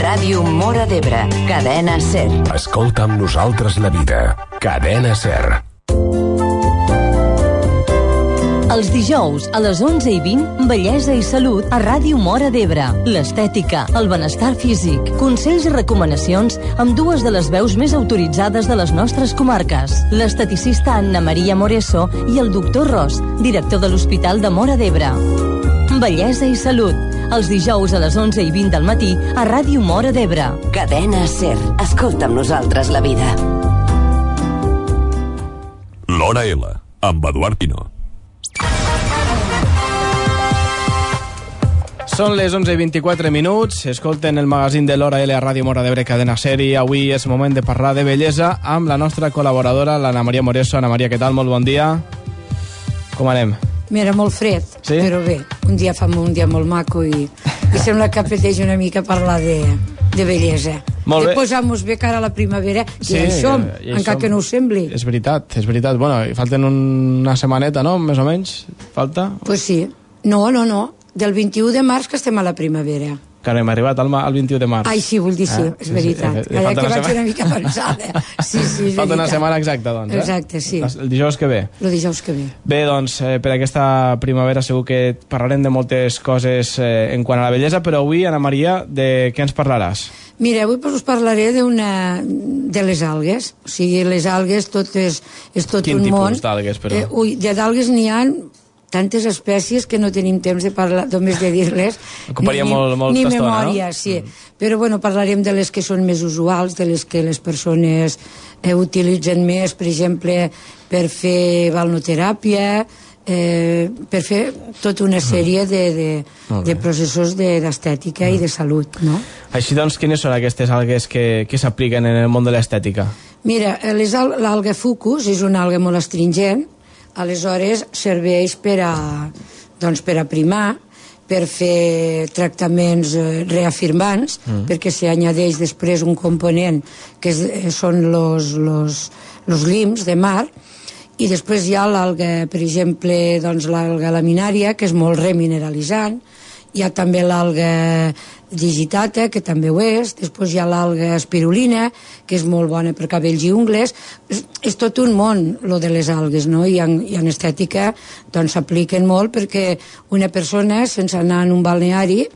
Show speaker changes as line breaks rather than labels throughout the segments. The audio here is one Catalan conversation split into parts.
Ràdio Móra d'Ebre, Cadena SER.
Escolta amb nosaltres la vida. Cadena SER.
Els dijous a les 11:20, Bellesa i Salut a Ràdio Móra d'Ebre. L'estètica, el benestar físic, consells i recomanacions amb dues de les veus més autoritzades de les nostres comarques. L'esteticista Anna Maria Moreso i el doctor Ros, director de l'Hospital de Móra d'Ebre. Bellesa i Salut, els dijous a les 11:20 del matí a Ràdio Móra d'Ebre.
Cadena SER. Escolta amb nosaltres la vida.
L'Hora L, amb Eduard Pino.
Són les 11:24, escolten el magazín de l'Hora L a Ràdio Móra d'Ebre, Cadena SER, i avui és moment de parlar de bellesa amb la nostra col·laboradora, l'Anna Maria Moreso. Anna Maria, què tal? Molt bon dia. Com anem?
Mira, molt fred,
sí?
Però bé, un dia fa un dia molt maco i sembla que apeteix una mica parlar de bellesa.
Molt bé.
De posar-nos bé cara a la primavera,
Sí,
i això,
i
encara que no ho sembli.
És veritat. Bueno, falten una setmaneta, no? Més o menys, falta?
Pues sí. No. Del 21 de març que estem a la primavera.
Que no hem arribat al 21 de març.
Ai, sí, vull dir sí, és veritat. Ara que vaig una mica pensada. Sí, és veritat.
Falta una setmana exacta, doncs.
Exacte, sí.
El dijous que ve.
El dijous que ve.
Bé, doncs, per aquesta primavera segur que parlarem de moltes coses en quant a la bellesa, però avui, Anna Maria, de què ens parlaràs?
Mira, avui us parlaré de les algues. O sigui, les algues tot és tot
Quin
un món.
tipus d'algues, però?
D'algues n'hi ha tantes espècies que no tenim temps de parlar, només de dir-les.
Ocuparia molta
ni
estona,
memòria,
no?
sí. Però bueno, parlarem de les que són més usuals, de les que les persones utilitzen més, per exemple, per fer balnoteràpia, per fer tota una sèrie de processos d'estètica i de salut, no?
Així doncs, quines són aquestes algues que s'apliquen en el món de l'estètica?
Mira, l'alga fucus és una alga molt astringent, aleshores serveix per a primar, per fer tractaments reafirmants, perquè s'hi añadeix després un component que són los lims de mar, i després hi ha l'alga, per exemple, l'alga laminària, que és molt remineralitzant, hi ha també l'alga digitata, que també ho és, després hi ha l'alga espirulina, que és molt bona per cabells i ungles. És tot un món, lo de les algues, no? I en estètica s'apliquen molt perquè una persona, sense anar en un balneari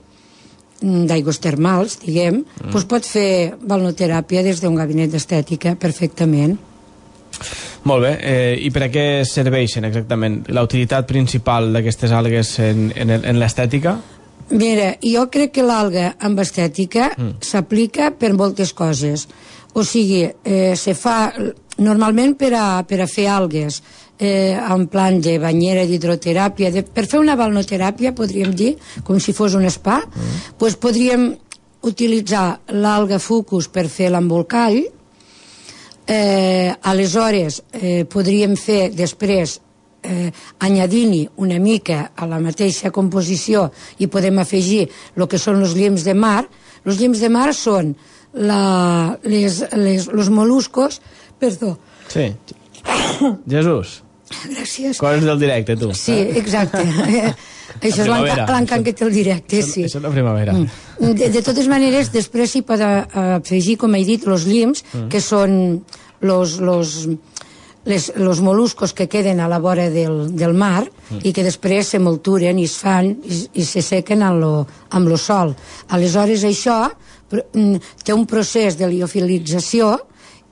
d'aigües termals, diguem, pot fer balnoteràpia des d'un gabinet d'estètica perfectament.
Molt bé, i per a què serveixen exactament? La utilitat principal d'aquestes algues en l'estètica?
Mira, jo crec que l'alga amb estètica s'aplica per moltes coses. O sigui, se fa normalment per a fer algues en plan de banyera d'hidroteràpia, per fer una balnoteràpia, podríem dir, com si fos un spa, doncs podríem utilitzar l'alga fucus per fer l'embolcall, aleshores podríem fer després añadint-hi una mica a la mateixa composició i podem afegir el que són els llims de mar. Els llims de mar són els moluscos, perdó.
Sí. Jesús.
Gràcies.
Coses del directe, tu.
Sí, exacte. Això és l'encant que té el directe, sí.
Això és la primavera.
De totes maneres, després s'hi pot afegir, com he dit, els llims, que són los moluscos que queden a la vora del mar i que després se molturen i es fan i se sequen amb lo sol. Aleshores això té un procés de liofilització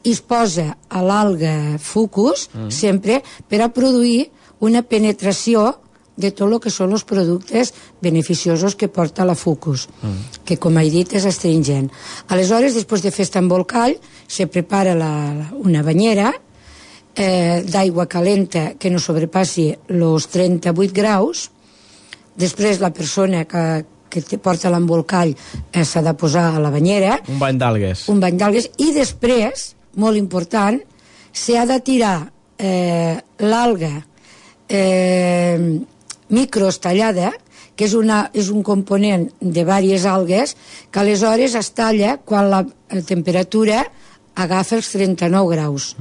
i es posa a l'alga fucus sempre per a produir una penetració de tot el que són els productes beneficiosos que porta la fucus, que com he dit és astringent. Aleshores, després de fer aquest embolcall, se prepara una banyera d'aigua calenta que no sobrepassi els 38 graus. Després la persona que porta l'embolcall s'ha de posar a la banyera.
Un bany d'algues.
Un bany d'algues. I després, molt important, s'ha de tirar l'alga microstallada, que és un component de diverses algues, que aleshores es talla quan la temperatura agafa els 39 graus.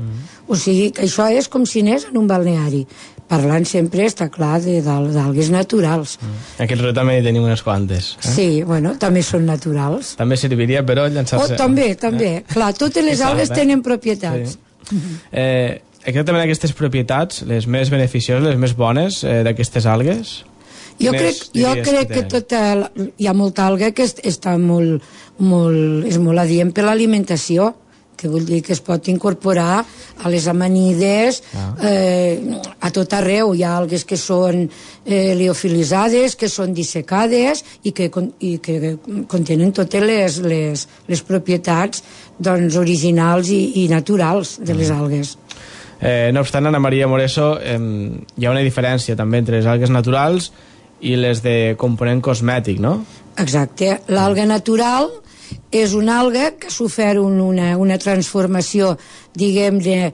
O sigui, que això és com si anés en un balneari. Parlant sempre, està clar, d'algues naturals.
Aquí al riu també hi tenim unes quantes.
Sí, bueno, també són naturals.
També serviria, però, llançar-se...
També. Clar, totes les algues tenen propietats.
Exactament aquestes propietats, les més beneficioses, les més bones d'aquestes algues...
Jo crec que hi ha molta alga que està molt adient per l'alimentació, que vull dir que es pot incorporar a les amanides, a tot arreu. Hi ha algues que són liofilitzades, que són dissecades i que contenen totes les propietats originals i naturals de les algues.
No obstant, Ana Maria Moreso, hi ha una diferència també entre les algues naturals i les de component cosmètic, no?
Exacte. L'alga natural és una alga que ha sofert una transformació, diguem-ne,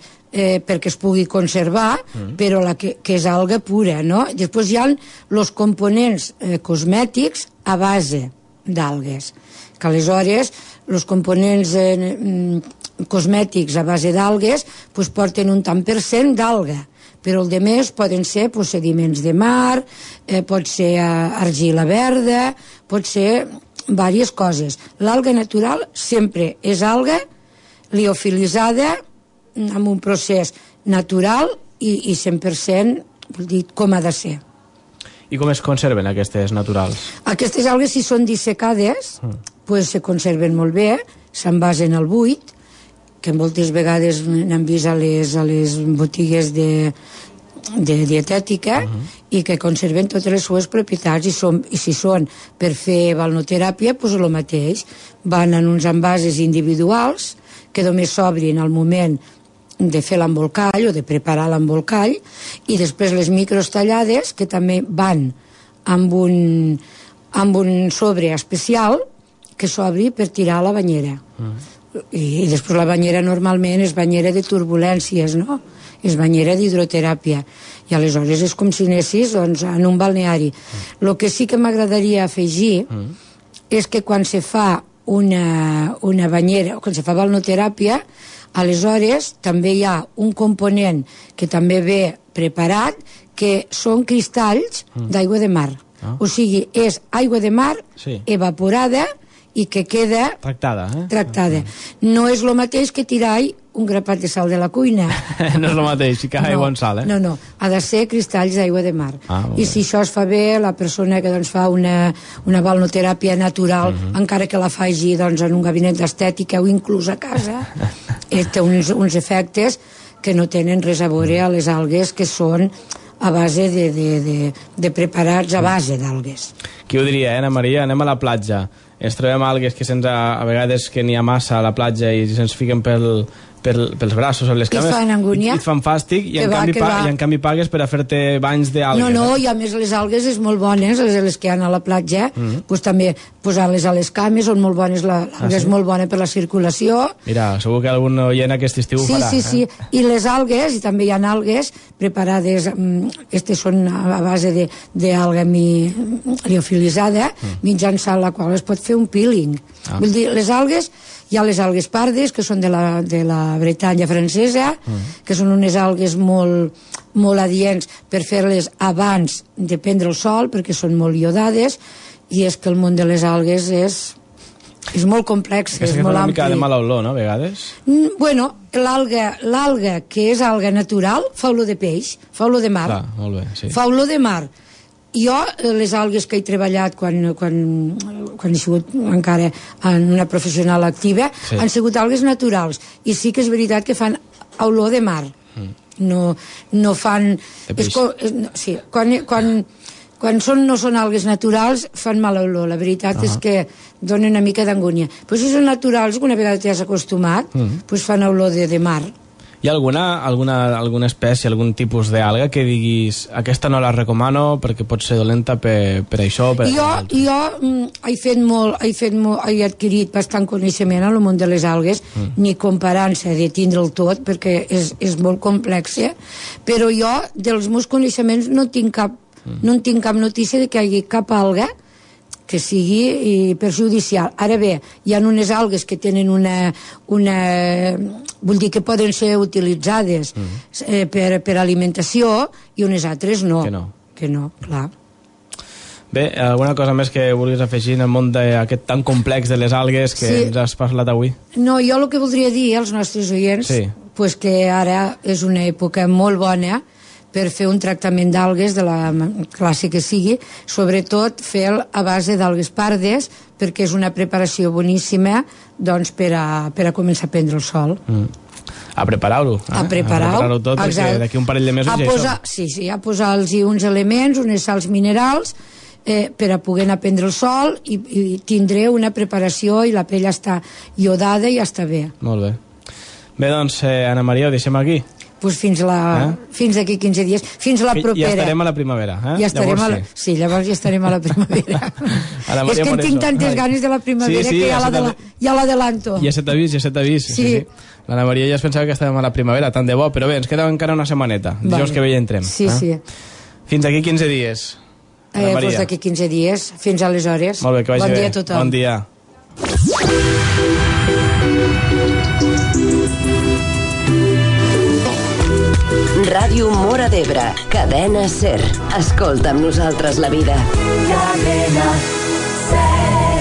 perquè es pugui conservar, però que és alga pura, no? Després hi ha els components cosmètics a base d'algues, que aleshores els components cosmètics a base d'algues porten un tant per cent d'alga, però el més poden ser sediments de mar, pot ser argila verda, pot ser diverses coses. L'alga natural sempre és alga liofilitzada amb un procés natural i 100%, vull dir, com ha de ser.
I com es conserven aquestes naturals?
Aquestes algues, si són dissecades, se conserven molt bé, s'envasen al buit, que moltes vegades n'han vist a les botigues de dietètica, i que conserven totes les seves propietats, i si són per fer balnoteràpia, el mateix. Van en uns envasos individuals que només s'obrin al moment de fer l'embolcall o de preparar l'embolcall, i després les micros tallades, que també van amb un sobre especial que s'obri per tirar a la banyera. I després la banyera normalment és banyera de turbulències, no? És banyera d'hidroteràpia, i aleshores és com si anessis en un balneari. El que sí que m'agradaria afegir és que quan se fa una banyera, o quan se fa balnoteràpia, aleshores també hi ha un component que també ve preparat, que són cristalls d'aigua de mar. O sigui, és aigua de mar evaporada i que queda tractada. No és el mateix que tirar un grapat de sal de la cuina.
No és el mateix, si cau aigua en sal,
No, ha de ser cristalls d'aigua de mar. I si això es fa bé, la persona que fa una balnoteràpia natural, encara que la faci en un gabinet d'estètica o inclús a casa, té uns efectes que no tenen res a veure a les algues, que són a base de preparats a base d'algues.
Qui ho diria, Ana Maria? Anem a la platja, ens trobem algues que a vegades que n'hi ha massa a la platja i se'ns fiquen pels braços o les cames,
i fan angúnia,
i et fan fàstic, i en canvi pagues per a fer-te banys d'algues.
No, i a més les algues és molt bones, les que hi ha a la platja, també posar-les a les cames són molt bones, l'alga és molt bona per la circulació.
Mira, segur que algun oient aquest estiu ho farà.
Sí, i les algues, i també hi ha algues preparades, aquestes són a base d'alga liofilitzada, mitjançant la qual es pot fer un peeling. Vull dir, les algues, hi ha les algues pardes, que són de la Bretanya francesa, que són unes algues molt adients per fer-les abans de prendre el sol, perquè són molt iodades, i és que el món de les algues és molt complex, és molt ampli.
Una mica de mala olor, no, a vegades?
Bueno, l'alga que és alga natural fa olor de peix, fa olor de mar.
Clar, molt bé, sí.
Fa olor de mar. Jo, les algues que he treballat quan he sigut encara en una professional activa, han sigut algues naturals, i sí que és veritat que fan olor de mar. No fan... Sí, quan no són algues naturals fan mala olor, la veritat és que donen una mica d'angúnia. Però si són naturals, una vegada t'hi has acostumat, fan olor de mar.
Hi ha alguna espècie, algun tipus d'alga que diguis aquesta no la recomano perquè pot ser dolenta per això?
Jo he adquirit bastant coneixement en el món de les algues, ni comparant-se de tindre'l tot, perquè és molt complex, però jo, dels meus coneixements, no en tinc cap notícia de que hi hagi cap alga que sigui perjudicial. Ara bé, hi ha unes algues que tenen vull dir que poden ser utilitzades per alimentació i unes altres no. Que no, clar.
Bé, alguna cosa més que vulguis afegir en el món aquest tan complex de les algues que ens has parlat avui?
No, jo el que voldria dir als nostres oients pues que ara és una època molt bona per fer un tractament d'algues de la classe que sigui, sobretot fer-lo a base d'algues pardes, perquè és una preparació boníssima doncs, per a començar a prendre el sol.
A preparar-ho.
A preparar-ho
tot, perquè d'aquí un parell de mesos ja això.
Sí, a posar-los uns elements, unes sals minerals, per a poder anar a prendre el sol i tindré una preparació i la pell està iodada i ja està bé.
Molt bé. Bé, doncs, Anna Maria, ho deixem aquí.
Pues fins d'aquí 15 dies, fins a la propera.
Ja estarem a la primavera,
llavors ja estarem a la primavera. És que tinc tantes ganes de la primavera que ja l'adelanto.
Ja se t'ha vist. Sí. L'Anna Maria ja es pensava que estàvem a la primavera, tant de bo, però bé, ens queda encara una setmaneta. Dijous que bé ja entrem.
Sí.
Fins d'aquí 15 dies.
Doncs d'aquí 15 dies, fins aleshores.
Molt bé, que vagi bé.
Bon dia a tothom.
Bon dia.
Ràdio Móra d'Ebre, cadena SER. Escolta amb nosaltres la vida. Cadena SER.